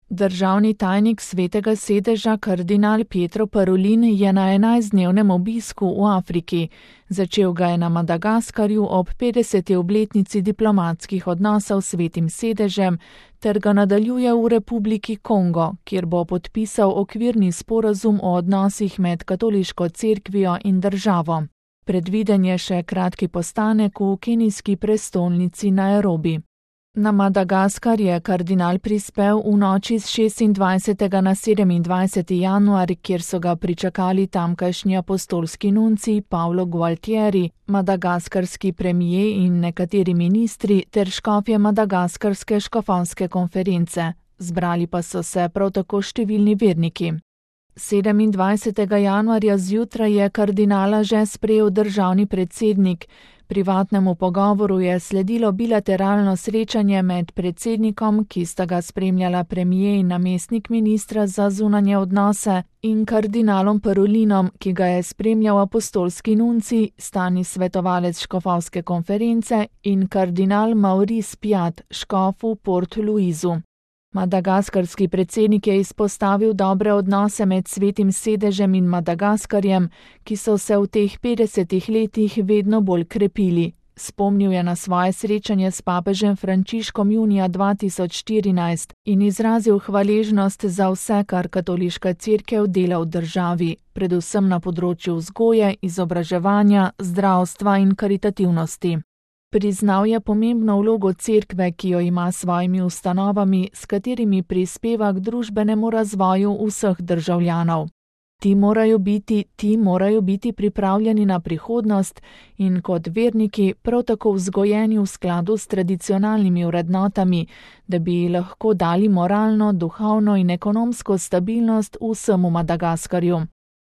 Državni tajnik Svetega sedeža kardinal Pietro Parolin je na 11-dnevnem obisku v Afriki. Začel ga je na Madagaskarju ob 50. obletnici diplomatskih odnosov s Svetim sedežem ter ga nadaljuje v Republiki Kongo, kjer bo podpisal okvirni sporazum o odnosih med katoliško cerkvijo in državo. Predviden je še kratki postanek v kenijski prestolnici Nairobi. Na Madagaskar je kardinal prispel v noči z 26. na 27. januar, kjer so ga pričakali tamkajšnji apostolski nuncij Paulo Gualtieri, madagaskarski premijer in nekateri ministri ter škofje Madagaskarske škofovske konference. Zbrali pa so se prav tako številni verniki. 27. januarja zjutraj je kardinala že sprejel državni predsednik. Privatnemu pogovoru je sledilo bilateralno srečanje med predsednikom, ki sta ga spremljala premijer in namestnik ministra za zunanje odnose, in kardinalom Parolinom, ki ga je spremljal apostolski nuncij, stalni svetovalec škofovske konference in kardinal Maurice Piat, škof v Port Louisu. Madagaskarski predsednik je izpostavil dobre odnose med Svetim sedežem in Madagaskarjem, ki so se v teh 50 letih vedno bolj krepili. Spomnil je na svoje srečanje s papežem Frančiškom junija 2014 in izrazil hvaležnost za vse, kar katoliška cerkev dela v državi, predvsem na področju vzgoje, izobraževanja, zdravstva in karitativnosti. Priznal je pomembno vlogo cerkve, ki jo ima s svojimi ustanovami, s katerimi prispeva k družbenemu razvoju vseh državljanov. Ti morajo biti pripravljeni na prihodnost in kot verniki prav tako vzgojeni v skladu s tradicionalnimi vrednotami, da bi lahko dali moralno, duhovno in ekonomsko stabilnost vsemu Madagaskarju.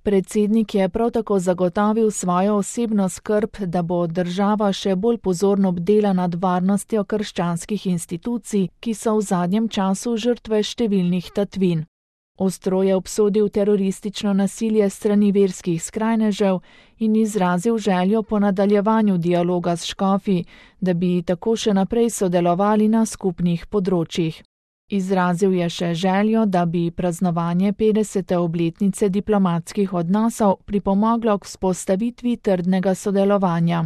Predsednik je prav tako zagotovil svojo osebno skrb, da bo država še bolj pozorno bdela nad varnostjo krščanskih institucij, ki so v zadnjem času žrtve številnih tatvin. Ostro je obsodil teroristično nasilje strani verskih skrajnežev in izrazil željo po nadaljevanju dialoga s škofi, da bi tako še naprej sodelovali na skupnih področjih. Izrazil je še željo, da bi praznovanje 50. obletnice diplomatskih odnosov pripomoglo k vzpostavitvi trdnega sodelovanja.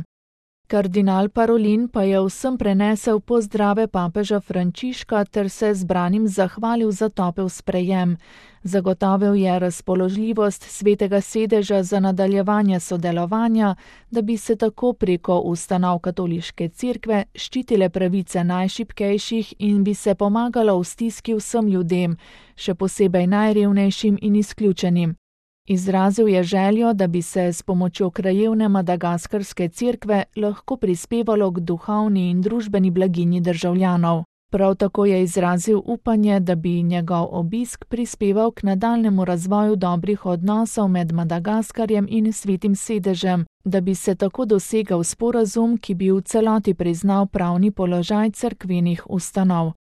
Kardinal Parolin pa je vsem prenesel pozdrave papeža Frančiška ter se zbranim zahvalil za topel sprejem. Zagotovil je razpoložljivost Svetega sedeža za nadaljevanje sodelovanja, da bi se tako preko ustanov katoliške cerkve ščitile pravice najšibkejših in bi se pomagalo v stiski vsem ljudem, še posebej najrevnejšim in izključenim. Izrazil je željo, da bi se s pomočjo krajevne madagaskarske cerkve lahko prispevalo k duhovni in družbeni blaginji državljanov. Prav tako je izrazil upanje, da bi njegov obisk prispeval k nadaljnemu razvoju dobrih odnosov med Madagaskarjem in Svetim sedežem, da bi se tako dosegel sporazum, ki bi v celoti priznal pravni položaj cerkvenih ustanov.